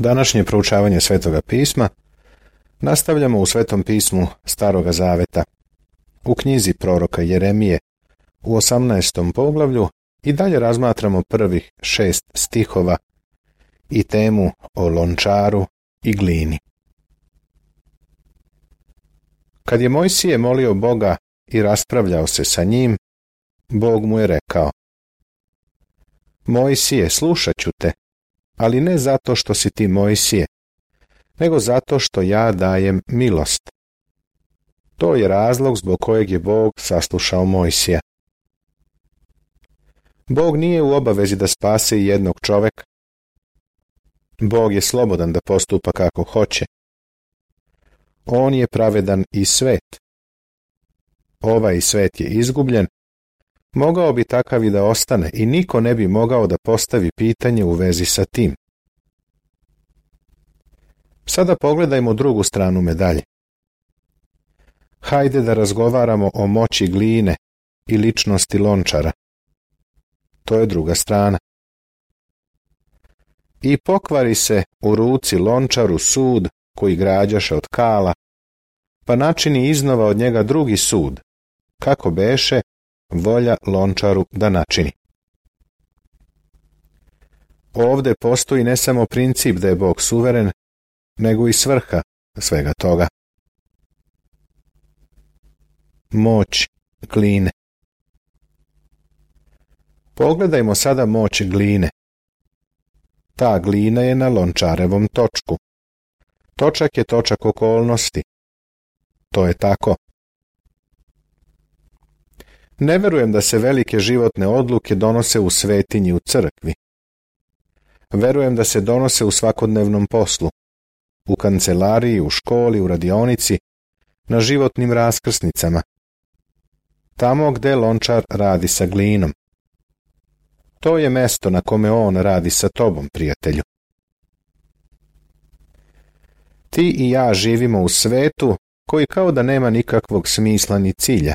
Današnje proučavanje Svetoga pisma nastavljamo u Svetom pismu Staroga Zaveta, u knjizi proroka Jeremije, u 18. poglavlju i dalje razmatramo prvih 6 stihova i temu o lončaru i glini. Kad je Mojsije molio Boga i raspravljao se sa njim, Bog mu je rekao: Mojsije, slušat ću te, ali ne zato što si ti Mojsije, nego zato što ja dajem milost. To je razlog zbog kojeg je Bog saslušao Mojsija. Bog nije u obavezi da spase i jednog čoveka. Bog je slobodan da postupa kako hoće. On je pravedan i svet. Ovaj svet je izgubljen, mogao bi takav i da ostane i niko ne bi mogao da postavi pitanje u vezi sa tim. Sada pogledajmo drugu stranu medalje. Hajde da razgovaramo o moći gline i ličnosti lončara. To je druga strana. I pokvari se u ruci lončaru sud koji građaše od kala, pa načini iznova od njega drugi sud, kako beše volja lončaru da načini. Ovde postoji ne samo princip da je Bog suveren, nego i svrha svega toga. Moć gline. Pogledajmo sada moć gline. Ta glina je na lončarevom točku. Točak je točak okolnosti. To je tako. Ne verujem da se velike životne odluke donose u svetinji u crkvi. Verujem da se donose u svakodnevnom poslu, u kancelariji, u školi, u radionici, na životnim raskrsnicama. Tamo gde lončar radi sa glinom. To je mesto na kome on radi sa tobom, prijatelju. Ti i ja živimo u svetu koji kao da nema nikakvog smisla ni cilja.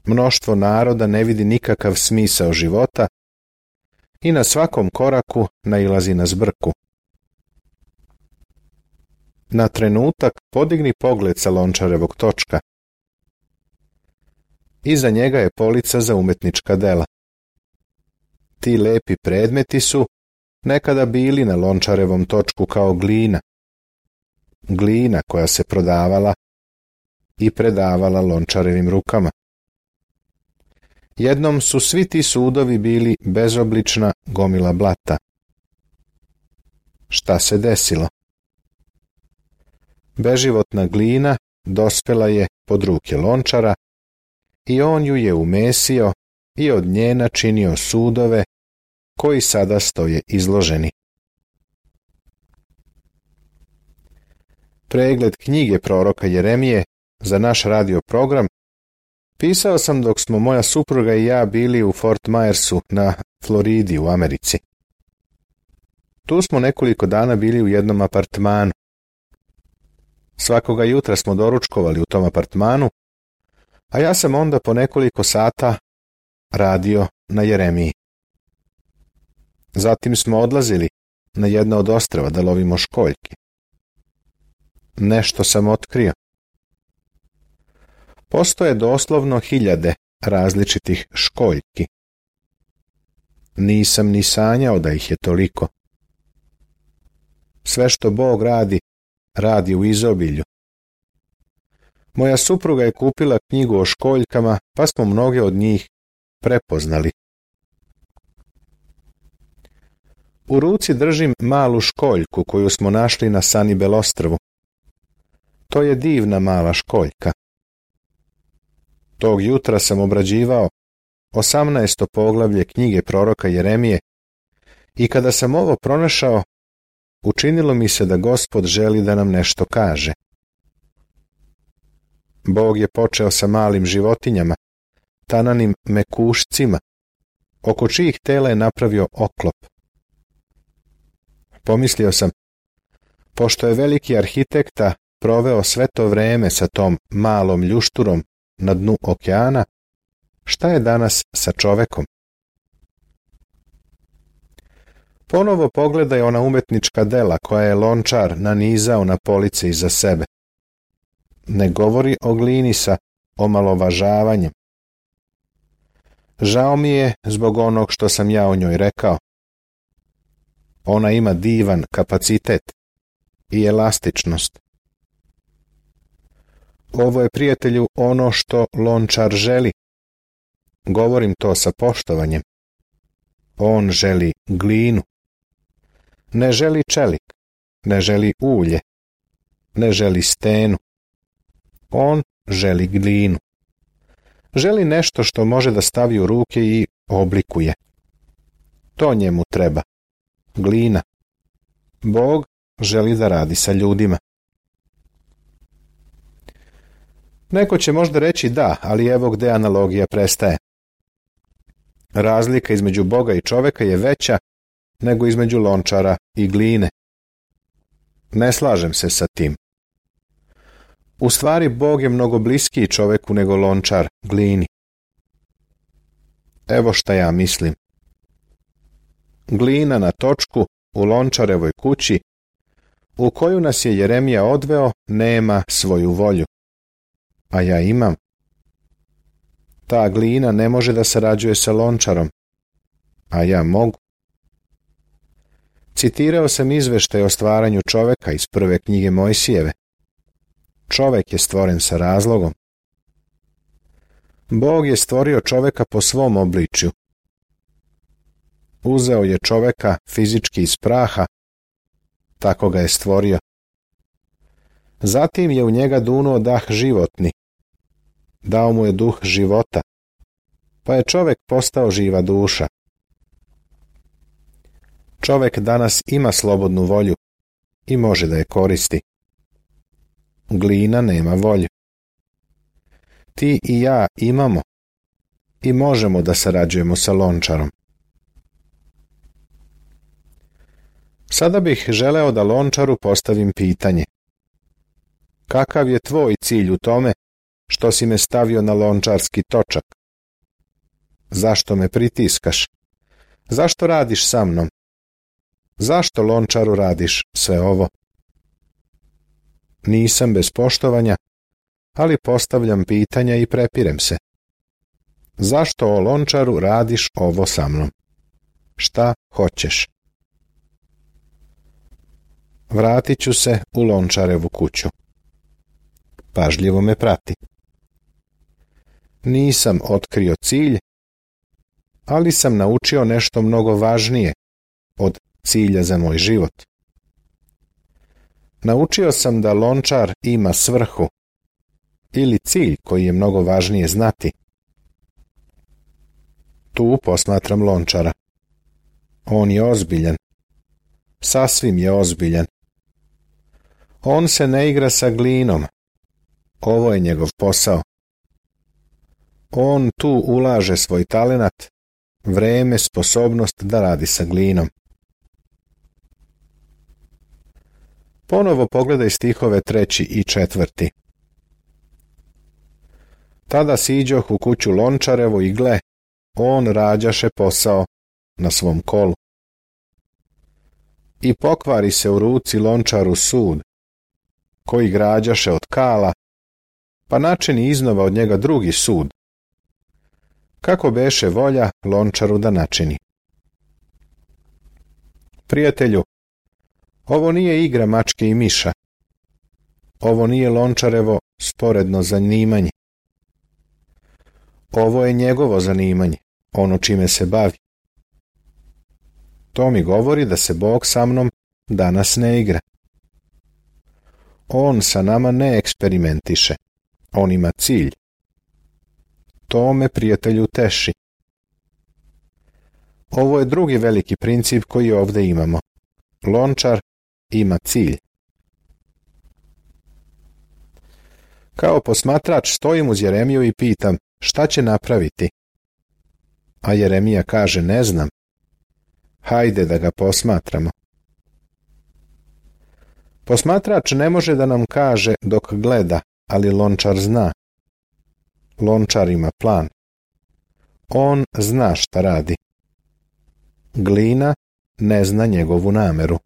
Mnoštvo naroda ne vidi nikakav smisao života i na svakom koraku nailazi na zbrku. Na trenutak podigni pogled sa lončarevog točka. Iza njega je polica za umetnička dela. Ti lepi predmeti su nekada bili na lončarevom točku kao glina. Glina koja se prodavala i predavala lončarevim rukama. Jednom su svi ti sudovi bili bezoblična gomila blata. Šta se desilo? Beživotna glina dospela je pod ruke lončara i on ju je umesio i od nje načinio sudove koji sada stoje izloženi. Pregled knjige proroka Jeremije za naš radio program pisao sam dok smo moja supruga i ja bili u Fort Myersu na Floridi u Americi. Tu smo nekoliko dana bili u jednom apartmanu. Svakoga jutra smo doručkovali u tom apartmanu, a ja sam onda po nekoliko sata radio na Jeremiji. Zatim smo odlazili na jedno od ostrva da lovimo školjke. Nešto sam otkrio. Postoje doslovno 1000 različitih školjki. Nisam ni sanjao da ih je toliko. Sve što Bog radi, radi u izobilju. Moja supruga je kupila knjigu o školjkama, pa smo mnoge od njih prepoznali. U ruci držim malu školjku koju smo našli na Sanibel ostrvu. To je divna mala školjka. Tog jutra sam obrađivao 18. poglavlje knjige proroka Jeremije i kada sam ovo pronašao, učinilo mi se da Gospod želi da nam nešto kaže. Bog je počeo sa malim životinjama, tananim mekušcima, oko čijih tela je napravio oklop. Pomislio sam, pošto je veliki arhitekta proveo sve to vreme sa tom malom ljušturom na dnu okeana, šta je danas sa čovekom? Ponovo pogledaj ona umetnička dela koja je Lončar nanizao na police iza sebe. Ne govori o glini sa omalovažavanjem. Žao mi je zbog onog što sam ja o njoj rekao. Ona ima divan kapacitet i elastičnost. Ovo je, prijatelju, ono što Lončar želi. Govorim to sa poštovanjem. On želi glinu. Ne želi čelik, ne želi ulje, ne želi stenu. On želi glinu. Želi nešto što može da stavi u ruke i oblikuje. To njemu treba. Glina. Bog želi da radi sa ljudima. Neko će možda reći da, ali evo gde analogija prestaje. Razlika između Boga i čoveka je veća nego između Lončara i gline. Ne slažem se sa tim. U stvari, Bog je mnogo bliskiji čoveku nego Lončar glini. Evo šta ja mislim. Glina na točku u Lončarevoj kući, u koju nas je Jeremija odveo, nema svoju volju. A ja imam. Ta glina ne može da sarađuje sa Lončarom, a ja mogu. Citirao sam izveštaj o stvaranju čoveka iz prve knjige Mojsijeve. Čovek je stvoren sa razlogom. Bog je stvorio čoveka po svom obličju. Uzeo je čoveka fizički iz praha, tako ga je stvorio. Zatim je u njega dunuo dah životni. Dao mu je duh života, pa je čovek postao živa duša. Čovek danas ima slobodnu volju i može da je koristi. Glina nema volju. Ti i ja imamo i možemo da sarađujemo sa Lončarom. Sada bih želeo da Lončaru postavim pitanje. Kakav je tvoj cilj u tome što si me stavio na lončarski točak? Zašto me pritiskaš? Zašto radiš sa mnom? Zašto Lončaru radiš sve ovo? Nisam bez poštovanja, ali postavljam pitanja i prepirem se. Zašto o Lončaru radiš ovo sa mnom? Šta hoćeš? Vratit ću se u Lončarevu kuću. Pažljivo me prati. Nisam otkrio cilj, ali sam naučio nešto mnogo važnije od cilja za moj život. Naučio sam da Lončar ima svrhu ili cilj koji je mnogo važnije znati. Tu posmatram Lončara. On je ozbiljan. Sasvim je ozbiljan. On se ne igra sa glinom. Ovo je njegov posao. On tu ulaže svoj talenat, vreme, sposobnost da radi sa glinom. Ponovo pogledaj stihove 3. i 4. Tada siđoh u kuću Lončarevu i gle, on rađaše posao na svom kolu. I pokvari se u ruci Lončaru sud, koji građaše od kala, pa načini iznova od njega drugi sud. Kako beše volja Lončaru da načini? Prijatelju, ovo nije igra mačke i miša. Ovo nije Lončarevo sporedno zanimanje. Ovo je njegovo zanimanje, ono čime se bavi. To mi govori da se Bog sa mnom danas ne igra. On sa nama ne eksperimentiše. On ima cilj. To me, prijatelju, teši. Ovo je drugi veliki princip koji ovdje imamo. Lončar ima cilj. Kao posmatrač stojim uz Jeremiju i pitam šta će napraviti. A Jeremija kaže ne znam. Hajde da ga posmatramo. Posmatrač ne može da nam kaže dok gleda, ali Lončar zna. Lončar ima plan. On zna šta radi. Glina ne zna njegovu nameru.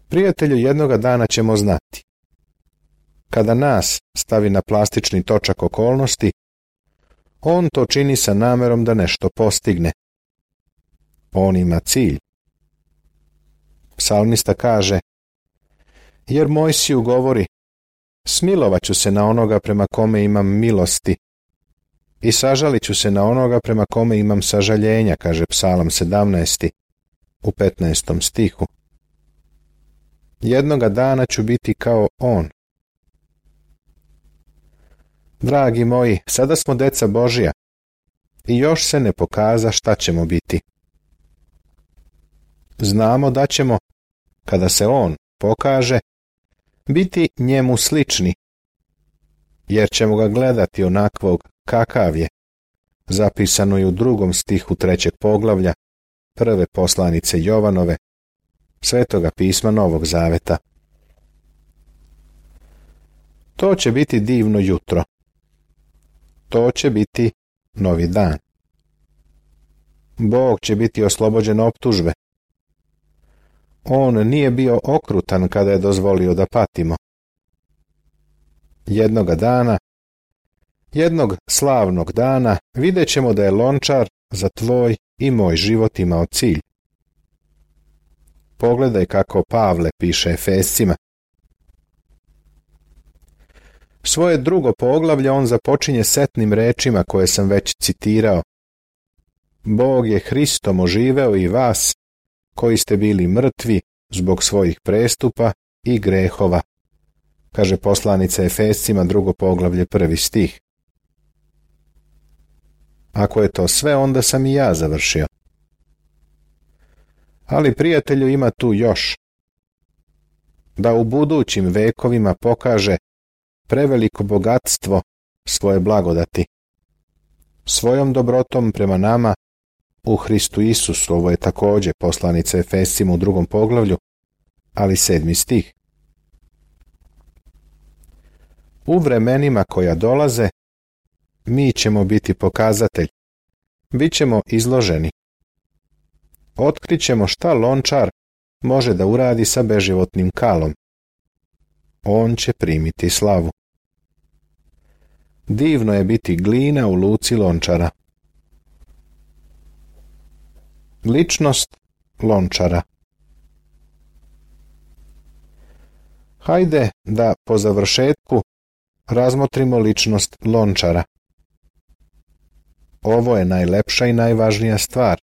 Prijatelju, jednoga dana ćemo znati. Kada nas stavi na plastični točak okolnosti, on to čini sa namerom da nešto postigne. On ima cilj. Psalmista kaže: jer Mojsiju govori, smilovat ću se na onoga prema kome imam milosti i sažalit ću se na onoga prema kome imam sažaljenja, kaže Psalam 17. u 15. stihu. Jednoga dana ću biti kao on. Dragi moji, sada smo deca Božja i još se ne pokaza šta ćemo biti. Znamo da ćemo, kada se on pokaže, biti njemu slični, jer ćemo ga gledati onakvog kakav je, zapisano je u 2. stihu 3. poglavlja prve poslanice Jovanove, Svetoga pisma Novog Zaveta. To će biti divno jutro. To će biti novi dan. Bog će biti oslobođen optužbe. On nije bio okrutan kada je dozvolio da patimo. Jednoga dana, jednog slavnog dana, vidjet ćemo da je Lončar za tvoj i moj život imao cilj. Pogledaj kako Pavle piše Efescima. Svoje 2. poglavlje on započinje setnim rečima koje sam već citirao. Bog je Hristom oživeo i vas, koji ste bili mrtvi zbog svojih prestupa i grehova, kaže poslanica Efescima 2. poglavlje 1. stih. Ako je to sve, onda sam i ja završio. Ali, prijatelju, ima tu još. Da u budućim vekovima pokaže preveliko bogatstvo svoje blagodati. Svojom dobrotom prema nama u Hristu Isusu, ovo je također poslanica Efescima u 2. poglavlju, ali 7. stih. U vremenima koja dolaze, mi ćemo biti pokazatelj. Bićemo izloženi. Otkrićemo šta Lončar može da uradi sa beživotnim kalom. On će primiti slavu. Divno je biti glina u luci Lončara. Ličnost Lončara. Hajde da po završetku razmotrimo ličnost Lončara. Ovo je najlepša i najvažnija stvar.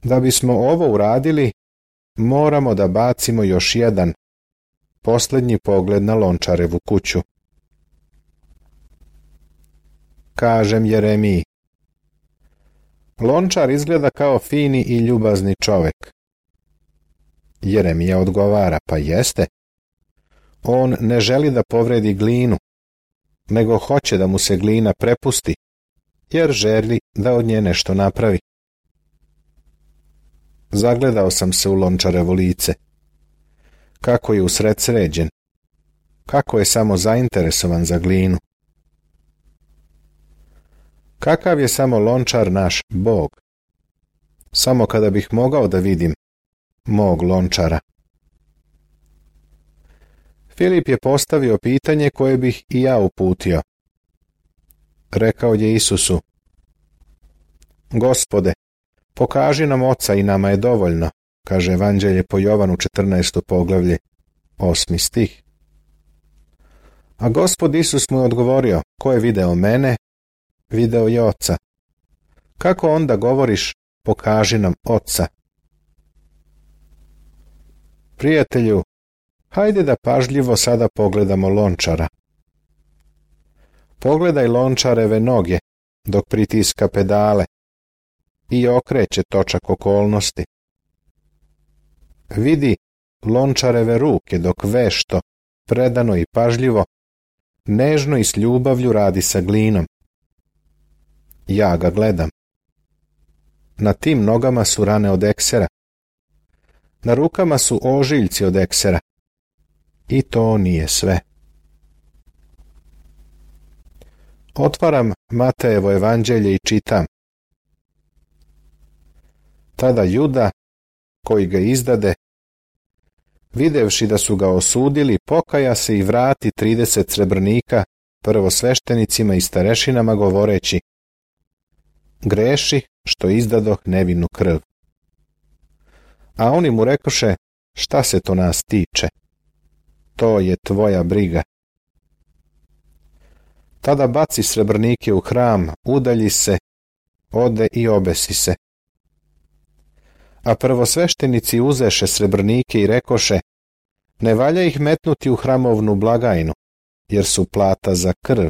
Da bismo ovo uradili, moramo da bacimo još jedan, posljednji pogled na Lončarevu kuću. Kažem Jeremiji: Lončar izgleda kao fini i ljubazni čovek. Jeremija odgovara: pa jeste. On ne želi da povredi glinu, nego hoće da mu se glina prepusti, jer želi da od nje nešto napravi. Zagledao sam se u Lončarevo lice. Kako je usredsređen. Kako je samo zainteresovan za glinu. Kakav je samo Lončar naš Bog. Samo kada bih mogao da vidim mog Lončara. Filip je postavio pitanje koje bih i ja uputio. Rekao je Isusu: Gospode, pokaži nam Oca i nama je dovoljno, kaže Evanđelje po Jovanu 14. poglavlje 8. stih. A Gospod Isus mu je odgovorio: ko je video mene, video je Oca. Kako onda govoriš: pokaži nam Oca? Prijatelju, hajde da pažljivo sada pogledamo Lončara. Pogledaj Lončareve noge dok pritiska pedale i okreće točak okolnosti. Vidi Lončareve ruke dok vešto, predano i pažljivo, nežno i s ljubavlju radi sa glinom. Ja ga gledam. Na tim nogama su rane od eksera. Na rukama su ožiljci od eksera. I to nije sve. Otvaram Matejevo evanđelje i čitam: Tada Juda, koji ga izdade, videvši da su ga osudili, pokaja se i vrati 30 srebrnika prvosveštenicima i starešinama, govoreći: greši što izdadoh nevinu krv. A oni mu rekoše: šta se to nas tiče? To je tvoja briga. Tada baci srebrnike u hram, udalji se, ode i obesi se. A prvosveštenici uzeše srebrnike i rekoše: ne valja ih metnuti u hramovnu blagajnu, jer su plata za krv.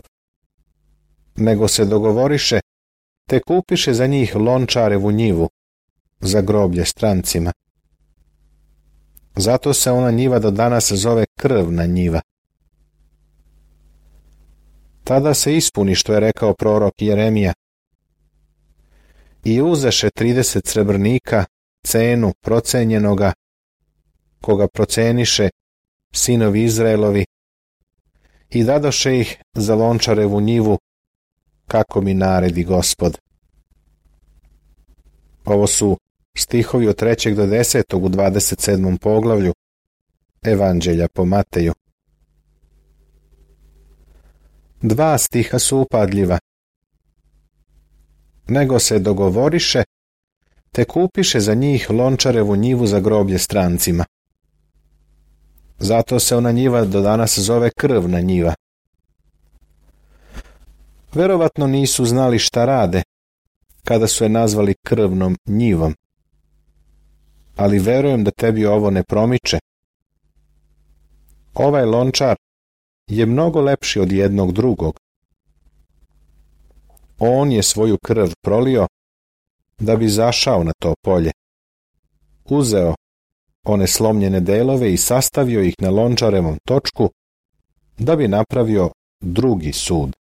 Nego se dogovoriše, te kupiše za njih lončarevu njivu, za groblje strancima. Zato se ona njiva do danas zove krvna njiva. Tada se ispuni što je rekao prorok Jeremija. I uzeše 30 srebrnika, cenu procenjenoga, koga proceniše sinovi Izraelovi, i dadoše ih za lončarevu njivu, kako mi naredi Gospod. Ovo su stihovi od 3. do 10. u 27. poglavlju Evanđelja po Mateju. 2 stiha su upadljiva. Nego se dogovoriše, te kupiše za njih lončarevu njivu za groblje strancima. Zato se ona njiva do danas zove krvna njiva. Verovatno nisu znali šta rade, kada su je nazvali krvnom njivom. Ali verujem da tebi ovo ne promiče. Ovaj lončar je mnogo lepši od jednog drugog. On je svoju krv prolio da bi zašao na to polje. Uzeo one slomljene delove i sastavio ih na lončarevom točku da bi napravio drugi sud.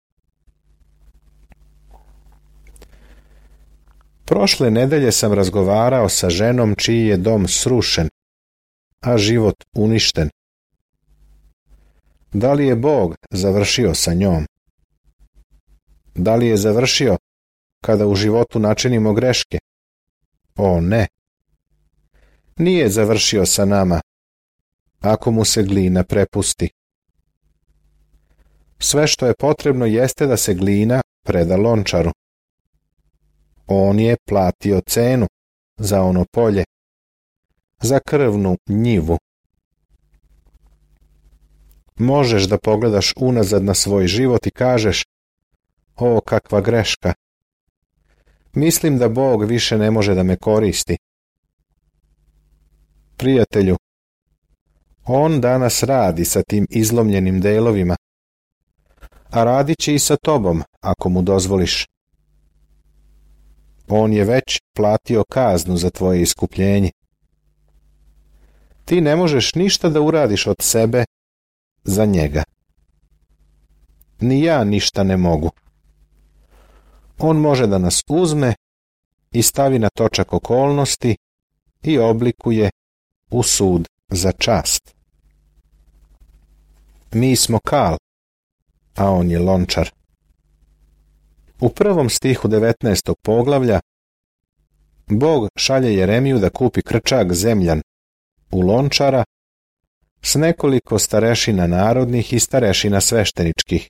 Prošle nedelje sam razgovarao sa ženom čiji je dom srušen, a život uništen. Da li je Bog završio sa njom? Da li je završio kada u životu načinimo greške? O ne! Nije završio sa nama, ako mu se glina prepusti. Sve što je potrebno jeste da se glina preda lončaru. On je platio cenu za ono polje, za krvnu njivu. Možeš da pogledaš unazad na svoj život i kažeš: o, kakva greška! Mislim da Bog više ne može da me koristi. Prijatelju, on danas radi sa tim izlomljenim delovima, a radit će i sa tobom ako mu dozvoliš. On je već platio kaznu za tvoje iskupljenje. Ti ne možeš ništa da uradiš od sebe za njega. Ni ja ništa ne mogu. On može da nas uzme i stavi na točak okolnosti i oblikuje u sud za čast. Mi smo kal, a on je lončar. U 1. stihu 19. poglavlja Bog šalje Jeremiju da kupi krčak zemljan u lončara s nekoliko starešina narodnih i starešina svešteničkih,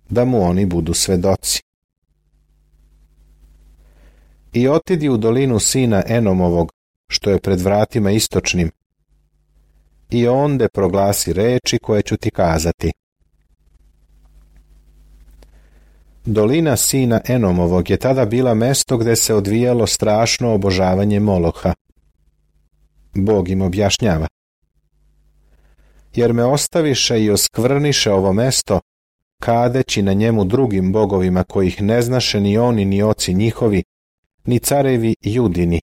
da mu oni budu svedoci. I otidi u dolinu sina Enomovog, što je pred vratima istočnim, i onde proglasi reči koje ću ti kazati. Dolina sina Enomovog je tada bila mesto gde se odvijalo strašno obožavanje Moloha. Bog im objašnjava: jer me ostaviše i oskvrniše ovo mesto, kadeći na njemu drugim bogovima kojih ne znaše ni oni ni oci njihovi, ni carevi Judini,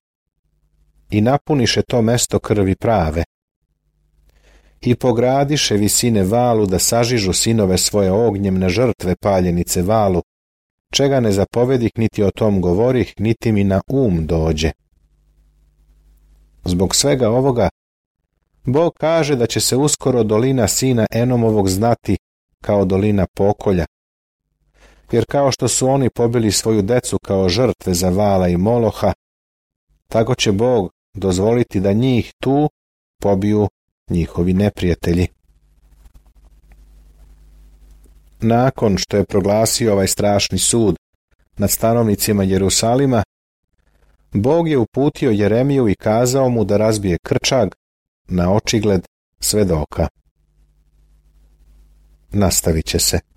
i napuniše to mesto krvi prave. I pogradiše visine valu da sažižu sinove svoje ognjemne žrtve paljenice valu, čega ne zapovedih niti o tom govorih, niti mi na dođe. Zbog svega ovoga, Bog kaže da će se uskoro dolina sina Enomovog znati kao dolina pokolja, jer kao što su oni pobili svoju decu kao žrtve za Vala i Moloha, tako će Bog dozvoliti da njih tu pobiju njihovi neprijatelji. Nakon što je proglasio ovaj strašni sud nad stanovnicima Jerusalima, Bog je uputio Jeremiju i kazao mu da razbije krčag na očigled svedoka. Nastavit će se.